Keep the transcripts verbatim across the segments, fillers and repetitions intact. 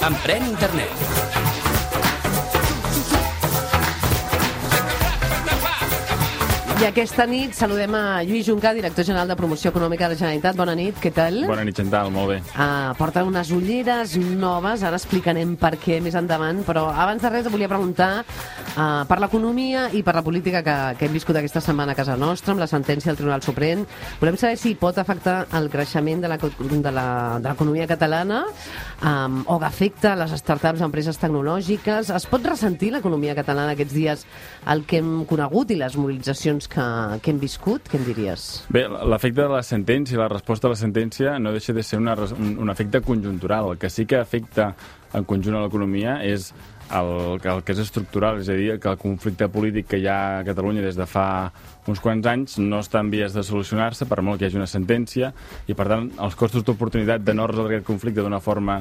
Emprèn Internet. I aquesta nit saludem a Lluís Junca, director general de Promoció Econòmica de la Generalitat. Bona nit, què tal? Bona nit, Chantal, molt bé. Uh, porta unes ulleres noves, ara explicarem per què més endavant, però abans de res volia preguntar uh, per l'economia i per la política que, que hem viscut aquesta setmana a casa nostra, amb la sentència del Tribunal Suprem. Volem saber si pot afectar el creixement de l'economia catalana um, o que afecta les startups, empreses tecnològiques. Es pot ressentir l'economia catalana aquests dies el que hem conegut i les mobilitzacions que, que hem viscut? Què en diries? Bé, l'efecte de la sentència i la resposta a la sentència no deixa de ser una, un, un efecte conjuntural. El que sí que afecta en conjunt a l'economia és el, el que és estructural, és a dir, que el conflicte polític que hi ha a Catalunya des de fa uns quants anys no està en vies de solucionar-se, per molt que hi hagi una sentència, i per tant els costos d'oportunitat de no resoldre aquest conflicte d'una forma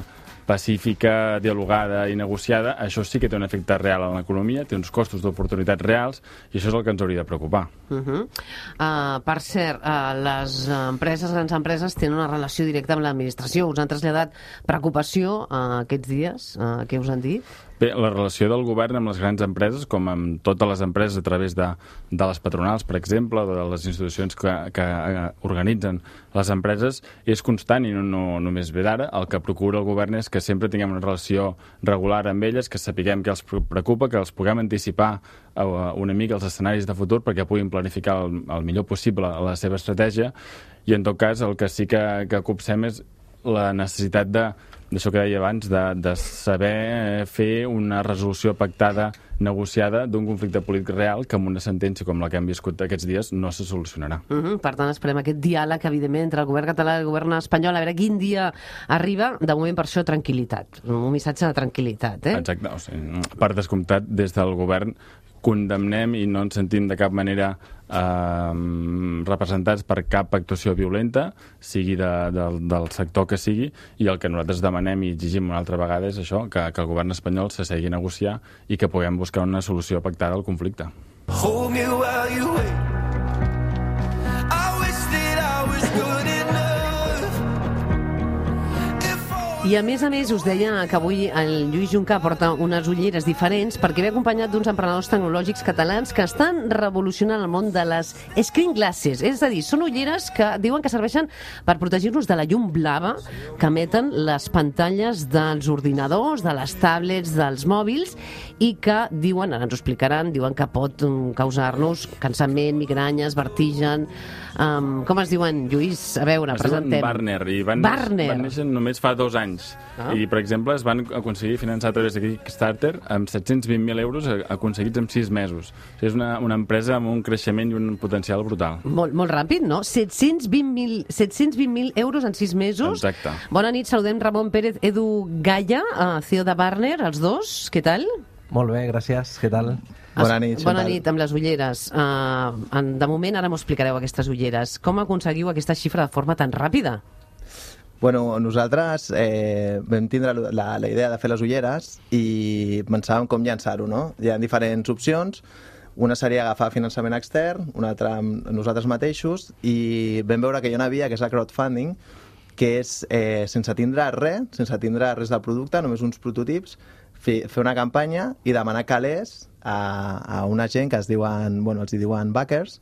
pacífica, dialogada i negociada, això sí que té un efecte real en l'economia, té uns costos d'oportunitats reals, i això és el que ens hauria de preocupar. Uh -huh. uh, per cert, uh, les empreses, grans empreses, tenen una relació directa amb l'administració. Us han traslladat preocupació uh, aquests dies? Uh, què us han dit? Bé, la relació del govern amb les grans empreses, com amb totes les empreses a través de, de les patronals, per exemple, o de les institucions que, que organitzen les empreses, és constant i no, no només ve d'ara. El que procura el govern és que sempre tinguem una relació regular amb elles, que sapiguem què els preocupa, que els puguem anticipar una mica els escenaris de futur perquè puguin planificar el, el millor possible la seva estratègia, i en tot cas el que sí que, que copsem és la necessitat de d'això que deia abans, de, de saber fer una resolució pactada, negociada, d'un conflicte polític real que amb una sentència com la que hem viscut aquests dies no se solucionarà. Uh -huh. Per tant, esperem aquest diàleg, evidentment, entre el govern català i el govern espanyol, a veure quin dia arriba. De moment, per això, tranquil·litat. Un missatge de tranquil·litat, eh? Exacte. O sigui, per descomptat, des del govern condemnem i no ens sentim de cap manera eh, representats per cap actuació violenta, sigui de, de, del sector que sigui, i el que nosaltres demanem i exigim una altra vegada és això, que, que el govern espanyol s'assegui a negociar i que puguem buscar una solució pactada al conflicte. Hold me while you wait. I wish that I was good enough. I a més a més us deia que avui el Lluís Junca porta unes ulleres diferents perquè ve acompanyat d'uns emprenedors tecnològics catalans que estan revolucionant el món de les screen glasses. És a dir, són ulleres que diuen que serveixen per protegir-nos de la llum blava que emeten les pantalles dels ordinadors, de les tablets, dels mòbils, i que diuen, ara ens ho explicaran, diuen que pot causar-nos cansament, migranyes, vertigen. Um, com es diuen, Lluís? A veure, es presentem. Es diuen Barner, i van, Barner. van néixer només fa dos anys. Ah. I, per exemple, es van aconseguir finançar a través de Kickstarter amb set-cents vint mil euros aconseguits en sis mesos. O sigui, és una, una empresa amb un creixement i un potencial brutal. Molt, molt ràpid, no? set-cents vint mil euros en sis mesos. Exacte. Bona nit, saludem Ramon Pérez, Edu Gaia, C E O de Barner, els dos. Què tal? Molt bé, gràcies. Què tal? Bona nit, Bona nit, amb les ulleres. Uh, de moment, ara m'ho explicareu, aquestes ulleres. Com aconseguiu aquesta xifra de forma tan ràpida? Bueno, nosaltres eh, vam tindre la, la idea de fer les ulleres i pensàvem com llançar-ho, no? Hi ha diferents opcions. Una seria agafar finançament extern, una altra amb nosaltres mateixos, i vam veure que hi ha una via, que és el crowdfunding, que és eh, sense tindre res, sense tindre res del producte, només uns prototips, fer, fer una campanya i demanar calés a, a una gent que es diuen, bueno, els hi diuen backers,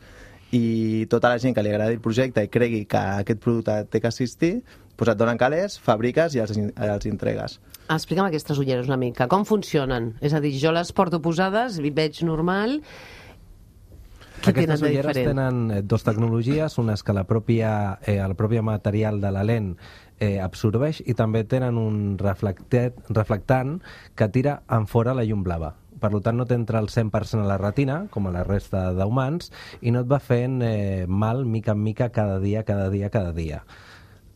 i tota la gent que li agradi el projecte i cregui que aquest producte té que assistir, doncs et donen calés, fabriques i els, els entregues. Explica'm aquestes ulleres una mica. Com funcionen? És a dir, jo les porto posades, i veig normal. Què Aquestes tenen de ulleres diferent? tenen dos tecnologies, una és que la pròpia, eh, el propi material de la lent eh, absorbeix, i també tenen un reflectant que tira en fora la llum blava. Per tant, no t'entra el cent per cent a la retina, com a la resta d'humans, i no et va fent eh, mal mica en mica cada dia, cada dia, cada dia.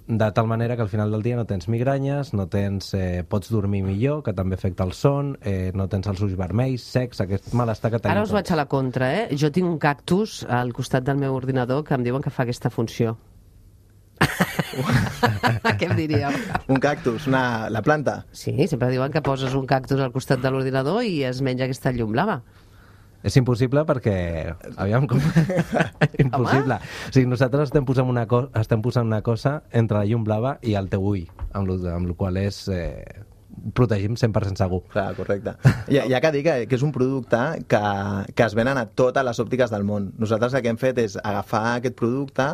De tal manera que al final del dia no tens migranyes, no tens, eh, pots dormir millor, que també afecta el son, eh, no tens els ulls vermells, secs, aquest malestar que tenim. Ara us vaig a la contra, eh? Jo tinc un cactus al costat del meu ordinador que em diuen que fa aquesta funció. Què em diríeu? Un cactus, una, la planta? Sí, sempre diuen que poses un cactus al costat de l'ordinador i es menja aquesta llum blava. És impossible perquè... Aviam com... impossible. O sigui, nosaltres estem posant, una co... estem posant una cosa entre la llum blava i el teu ull, amb lo, amb lo qual és... Eh... protegim cent per cent segur. Clar, correcte. I, ja que dic que, que és un producte que, que es venen a totes les òptiques del món. Nosaltres el que hem fet és agafar aquest producte,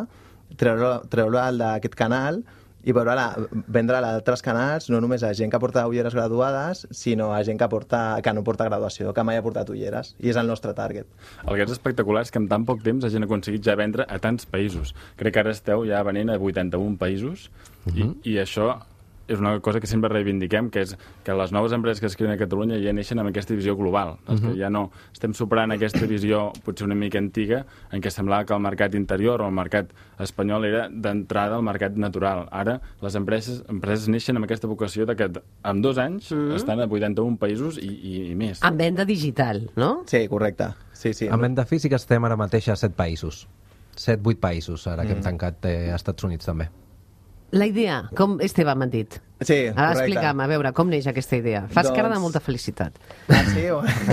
treure-lo treure d'aquest canal i vendre-la a altres canals, no només a gent que porta ulleres graduades, sinó a gent que, porta, que no porta graduació, que mai ha portat ulleres. I és el nostre target. El que és espectacular és que en tan poc temps la gent ha aconseguit ja vendre a tants països. Crec que ara esteu ja venent a vuitanta-un països uh -huh. i, i això... és una cosa que sempre reivindiquem, que és que les noves empreses que es creen a Catalunya ja neixen amb aquesta visió global. Uh -huh. Que ja no estem superant aquesta visió potser una mica antiga, en què semblava que el mercat interior o el mercat espanyol era d'entrada al mercat natural. Ara les empreses, empreses neixen amb aquesta vocació de que en dos anys uh -huh. estan a vuitanta-un països i, i, i més. En venda digital, no? Sí, correcte. Sí, sí. En venda física estem ara mateix a set països. set, vuit països, ara mm. que hem tancat eh, als Estats Units també. La idea, com Esteve m'han dit. Sí, Ara correcte. explica'm, a veure, com neix aquesta idea. Fas doncs... cara de molta felicitat. Ah, sí?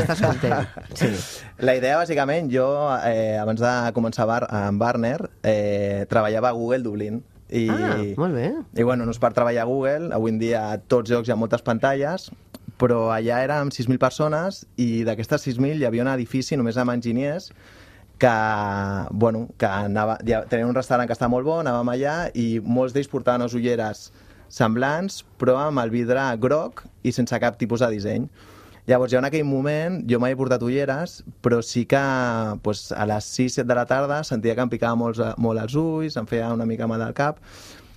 Estàs content. Sí. La idea, bàsicament, jo, eh, abans de començar bar amb Barner, eh, treballava a Google Dublín. I, ah, molt bé. I, bueno, no és per treballar a Google. Avui en dia a tots llocs hi ha moltes pantalles, però allà érem sis mil persones i d'aquestes sis mil hi havia un edifici només amb enginyers que, bueno, que anava, ja, tenia un restaurant que està molt bo, anàvem allà i molts d'ells portaven les ulleres semblants, però amb el vidre groc i sense cap tipus de disseny. Llavors, jo en aquell moment, jo mai he portat ulleres, però sí que pues, a les sis set de la tarda sentia que em picava molt, molt els ulls, em feia una mica mal al cap,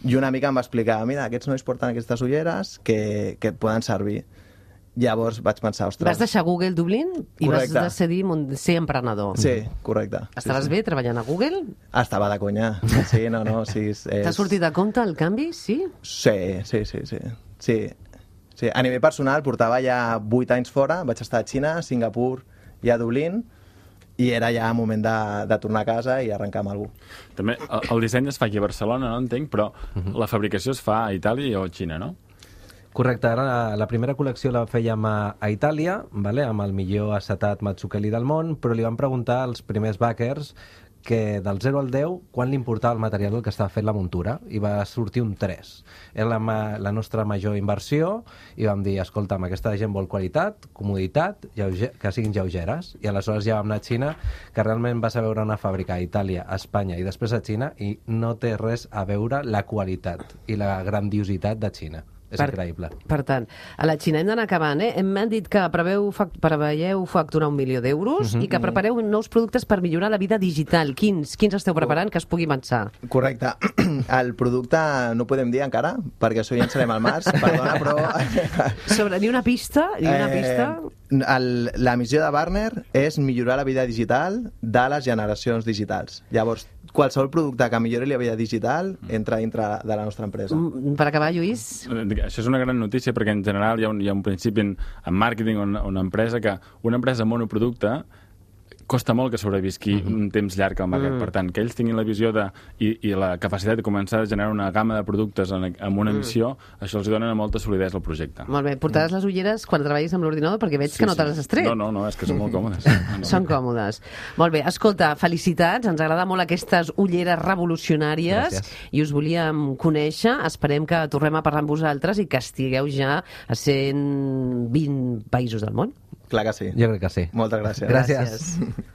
i una mica em va explicar, mira, aquests nois porten aquestes ulleres que, que et poden servir. Llavors vaig pensar, ostres... Vas deixar Google Dublín i correcte. Vas decidir ser emprenedor. Sí, correcte. Estaves sí, sí. bé treballant a Google? Estava de conya. Sí, no, no. Sí, és... T'ha sortit de compte el canvi, sí? Sí, sí, sí, sí. sí. sí. A nivell personal, portava ja vuit anys fora, vaig estar a Xina, a Singapur i a Dublín, i era ja moment de, de tornar a casa i arrencar amb algú. També el, el disseny es fa aquí a Barcelona, no entenc, però uh -huh. la fabricació es fa a Itàlia o a Xina, no? Correcte, ara la, la primera col·lecció la fèiem a, a Itàlia, vale? Amb el millor acetat Mazzucchelli del món, però li van preguntar als primers backers que del zero al deu, quan li importava el material del que estava fent la muntura, i va sortir un tres. Era la, la nostra major inversió, i vam dir, escolta'm, aquesta gent vol qualitat, comoditat, lleuger, que siguin lleugeres, i aleshores ja vam anar a Xina, que realment vas a veure una fàbrica a Itàlia, a Espanya i després a Xina, i no té res a veure la qualitat i la grandiositat de Xina. És per, increïble. Per tant, a la Xina hem d'anar acabant, eh? M'han dit que preveu, preveieu facturar un milió d'euros uh -huh. i que prepareu nous productes per millorar la vida digital. Quins, quins esteu preparant que es pugui avançar? Correcte. El producte no podem dir encara, perquè això ja en serem al març, perdona, però... Sobre, ni una pista? Ni una eh, pista? El, la missió de Barner és millorar la vida digital de les generacions digitals. Llavors, qualsevol producte que millori la vida digital entra dintre de la nostra empresa. Per acabar, Lluís... Això és una gran notícia perquè en general hi ha un, hi ha un principi en, en màrqueting o una, una empresa que una empresa monoproducte costa molt que sobrevisqui uh -huh. un temps llarg al mercat. Uh -huh. Per tant, que ells tinguin la visió de, i, i la capacitat de començar a generar una gamma de productes en, amb una missió, uh -huh. això els dona molta solidesa al projecte. Molt bé. Portaràs uh -huh. les ulleres quan treballis amb l'ordinador perquè veig sí, que no te les has tret. No, no, no, és que són molt còmodes. No, no. Són còmodes. Molt bé. Escolta, felicitats. Ens agrada molt aquestes ulleres revolucionàries. Gràcies. I us volíem conèixer. Esperem que tornem a parlar amb vosaltres i que estigueu ja a cent vint països del món. Clar que sí. Jo crec que sí. Moltes gràcies. Gràcies. gràcies.